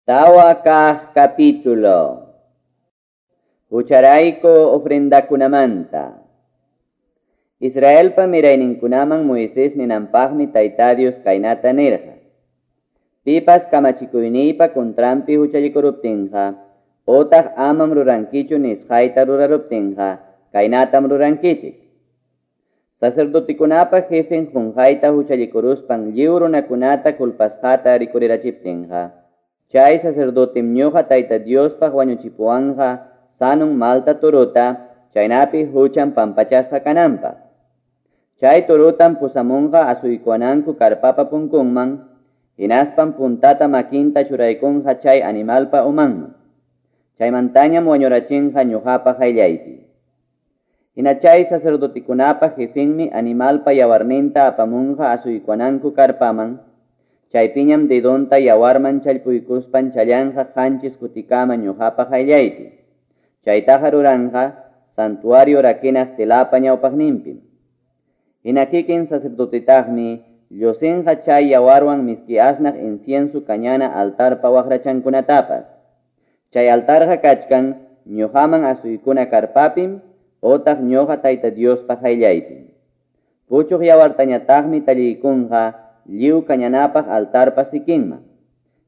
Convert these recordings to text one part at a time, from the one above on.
Tawa kaq capítulo. Hucharayku ofrendakunamanta. Israelpa mirayninkunaman Moisés ninanpaqmi Tayta Dios kaynata nirqa. Pipas kamachikuyniypa contranpi huchallikuruptinqa, otaq amam rurankichu nisqayta ruraruptinqa, kaynatam rurankichik. Sacerdotikunapa jefen qunqayta huchallikuruspan lliw runakunata culpasqata rikurirachiptinqa, chay sacerdotem ñuqa Tayta Diospaq wañuchipuwanqa sanun malta turuta, chaynapi huchan pampachasqa kananpaq. Chay turutam pusamunqa asuykuwananku karpapa punkunman, hinaspam puntata makinta churaykunqa chay animalpa umanman. Chaymantañam wañurachinqa ñuqapa qayllaypi. Hina chay sacerdotikunapa jefenmi animalpa yawarninta apamunqa asuykuwananku karpaman, chaypiñam dedonta yawarman challpuykuspan challanqa qanchis kutikama ñuqapa qayllaypi. Chaytaqa ruranqa santuario rakinaq telapa ñawpaqninpim. Hina kikin sacerdotetaqmi llusinqa chay yawarwan miski asnaq incienso kañana altarpa waqrachankunatapas. Chay altarqa kachkan ñuqaman asuykuna karpapim otaq ñuqa Tayta Diospa qayllaypim. Puchuq yawartañataqmi talliykunqa lliw kañanapaq altarpa sikinman.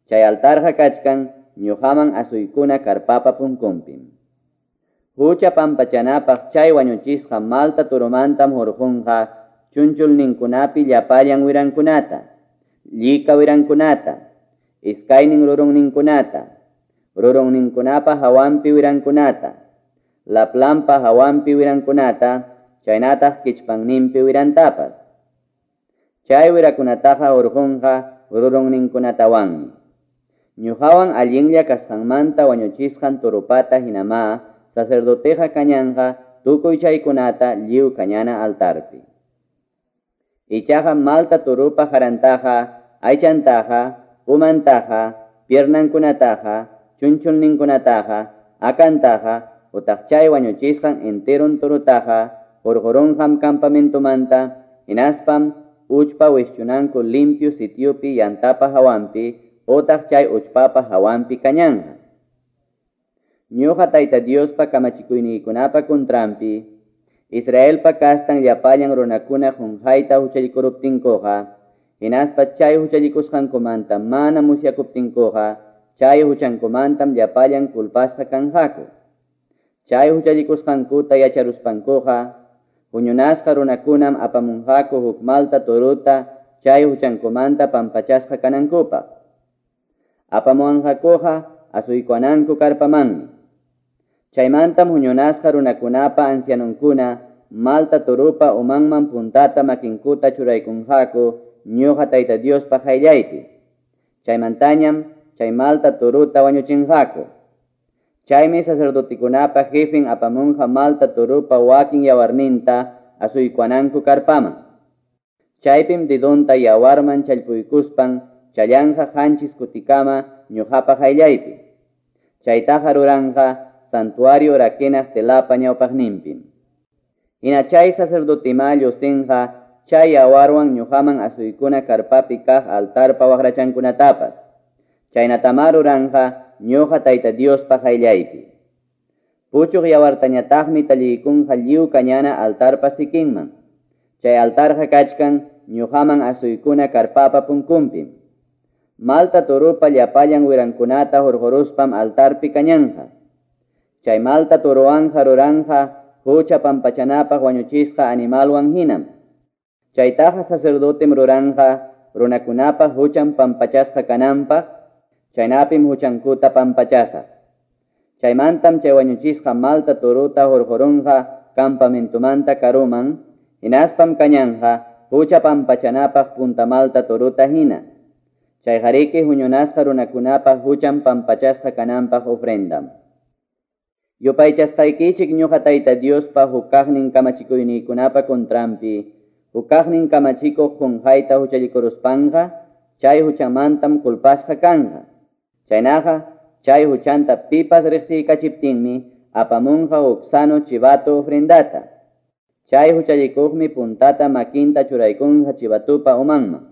Chay altarqa kachkan ñuqaman asuykuna karpapa punkunpim. Hucha pampachanapaq chay wañuchisqa malta turumantam hurqunqa chunchulninkunapi llapallan wirankunata, llika wirankunata, iskaynin rurunninkunata, rurunninkunapa hawanpi wirankunata, laplampa hawanpi wirankunata, chaynataq kichpanninpi wirantapas. Chay wirakunataqa hurqunqa rurunninkunatawanmi. Ñuqawan allinlla kasqanmanta wañuchisqan turupata hinama sacerdoteqa kañanqa tukuy chaykunata lliw kañana altarpi. Ichaqa malta turupa harantaqa, aychantaqa, umantaqa, piernankunataqa, chunchulninkunataqa, akantaqa, utaq chay wañuchisqan enteron turutaqa hurqurunqam campamentomanta, hinaspam uchpa wischunanku limpio sitiopi yantapa hawanpi, otaq chay uchpapa hawanpi kañanqa. Ñuqa Tayta Diospa kamachikuyniykunapa contranpi, Israelpa kastan llapallan runakuna qunqayta huchallikuruptinkuqa, hinaspa chay huchallikusqankumanta mana musyakuptinkuqa, chay huchankumantam llapallan culpasqa kanqaku. Chay huchallikusqankuta yacharuspankuqa, huñunasqa runakunam apamunqaku huk malta turuta chay huchankumanta pampachasqa kanankupaq. Apamuwanqakuqa asuykuwananku karpamanmi. Chaymantam huñunasqa runakunapa ancianunkuna malta turupa umanman puntata makinkuta churaykunqaku ñuqa Tayta Diospa qayllaypi. Chaymantañam chay malta turuta wañuchinqaku. Chaymi sacerdotikunapa jefen apamunqa malta turupa wakin yawarninta asuykuwananku karpaman. Chaypim dedonta yawarman challpuykuspan challanqa qanchis kutikama ñuqapa qayllaypi. Chaytaqa ruranqa santuario rakinaq telapa ñawpaqninpim. Hina chay sacerdotima llusinqa chay yawarwan ñuqaman asuykuna karpapi kaq altarpa waqrachankunatapas. Chaynatama ruranqa ñuqa Tayta Diospa qayllaypi. Puchuq yawartañataqmi talliykunqa lliw kañana altarpa sikinman. Chay altarqa kachkan ñuqaman asuykuna karpapa punkunpim. Malta turupa llapallan wirankunata hurquruspam altarpi kañanqa. Chay malta turuwanja ruranja hucha pampachanapaq wañuchisqa animalwan hinam. Chaytaqa sacerdotem ruranja runakunapa huchan pampachasqa kananpaq, chaynapim huchankuta pampachasaq. Chaymantam chay wañuchisqa malta turuta hurqurunqa campamentomanta karuman, hinaspam kañanqa hucha pampachanapaq punta malta turuta hina. Chayqariki huñunasqa runakunapa huchan pampachasqa kananpaq ofrendam. Yupaychasqaykichik ñuqa Tayta Diospa hukaqnin kamachikuyniykunapa contranpi, hukaqnin kamachikuq qunqayta huchallikuruspanqa, chay huchamantam culpasqa kanqa. Chaynaqa chay huchanta pipas riqsiykachiptinmi apamunqa huk sano chivato ofrendata. Chay huchallikuqmi puntata makinta churaykunqa chivatupa umanman.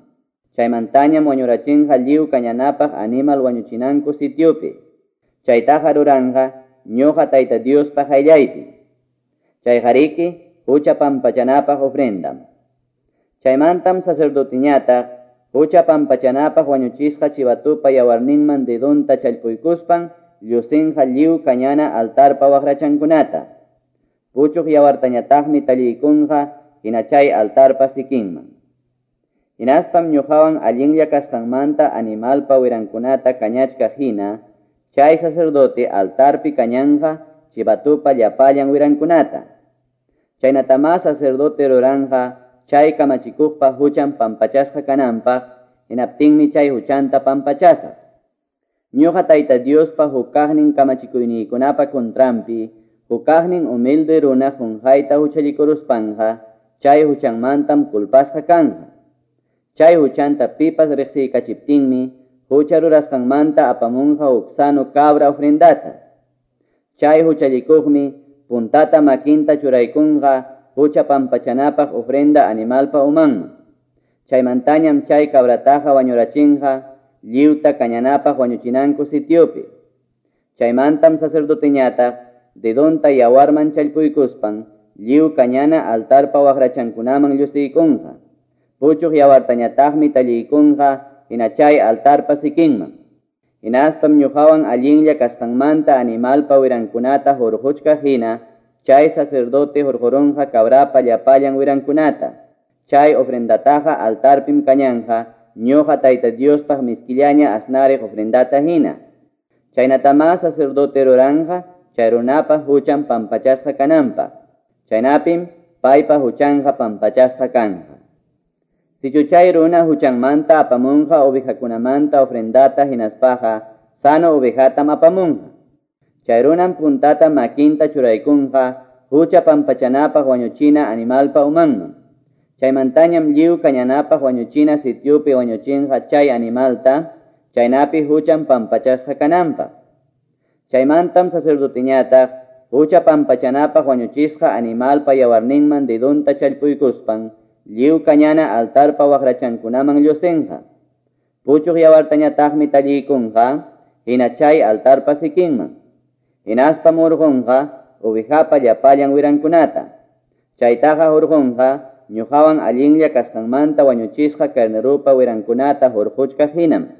Chaymantañam wañurachinqa lliw kañanapaq animal wañuchinanku sitiopi. Chaytaqa ruranqa ñuqa Tayta Diospa qayllaypi. Chayqariki hucha pampachanapaq ofrendam. Chaymantam sacerdoteñataq hucha pampachanapaq wañuchisqa chivatupa yawarninman dedonta challpuykuspan llusinqa lliw kañana altarpa waqrachankunata. Puchuq yawartañataqmi talliykunqa hina chay altarpa sikinman. Hinaspam ñuqawan allinlla kasqanmanta animalpa wirankunata kañachkaq hina, chay sacerdote altarpi kañanqa chivatupa llapallan wirankunata. Chaynatamá sacerdote ruranqa chay kamachikuqpa huchan pampachasqa kananpaq, hinaptinmi chay huchanta pampachasaq. Ñuqa Tayta Diospa hukaqnin kamachikuyniykunapa contranpi, hukaqnin humilde runa qunqayta huchallikuruspanqa, chay huchanmantam culpasqa kanqa. Chay huchanta pipas riqsiykachiptinmi, hucha rurasqanmanta apamunqa huk sano cabra ofrendata. Chay huchallikuqmi puntata makinta churaykunqa hucha pampachanapaq ofrenda animalpa umanman. Chaymantañam chay cabrataqa wañurachinqa lliwta kañanapaq wañuchinanku sitiopi. Chaymantam sacerdoteñataq dedonta yawarman challpuykuspan lliw kañana altarpa waqrachankunaman llusiykunqa. Puchuq yawartañataqmi talliykunqa hina chay altarpa sikinman. Hinaspam ñuqawan allinlla kasqanmanta animalpa wirankunata hurquchkaq hina, chay sacerdote hurqurunqa cabrapa llapallan wirankunata. Chay ofrendataqa altarpim kañanqa ñuqa Tayta Diospaq miskillaña asnariq ofrendata hina. Chaynatamá sacerdote ruranqa chay runapa huchan pampachasqa kananpaq. Chaynapim paypa huchanqa pampachasqa kanqa. Sichu chay runa huchanmanta apamunqa ovejakunamanta ofrendata hinaspaqa sano ovejatam apamunqa. Chay runam puntata makinta churaykunqa hucha pampachanapaq wañuchina animalpa umanman. Chaymantañam lliw kañanapaq wañuchina sitiopi wañuchinqa chay animalta, chaynapi huchan pampachasqa kananpaq. Chaymantam sacerdoteñataq hucha pampachanapaq wañuchisqa animalpa yawarninman dedonta challpuykuspan lliw kañana altarpa waqrachankunaman llusinqa. Puchuq yawartañataqmi talliykunqa hina chay altarpa sikinman. Hinaspam hurqunqa ovejapa llapallan wirankunata. Chaytaqa hurqunqa ñuqawan allinlla kasqanmanta wañuchisqa carnerupa wirankunata hurquchkaq hinam.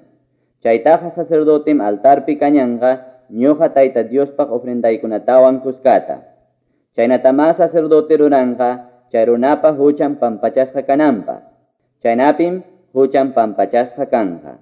Chaytaqa sacerdotem altarpi kañanqa ñuqa Tayta Diospaq ofrendaykunatawan kuskata. Chaynatamá sacerdote ruranqa chay runapa huchan pampachasqa kananpaq. Chaynapim huchan pampachasqa kanqa.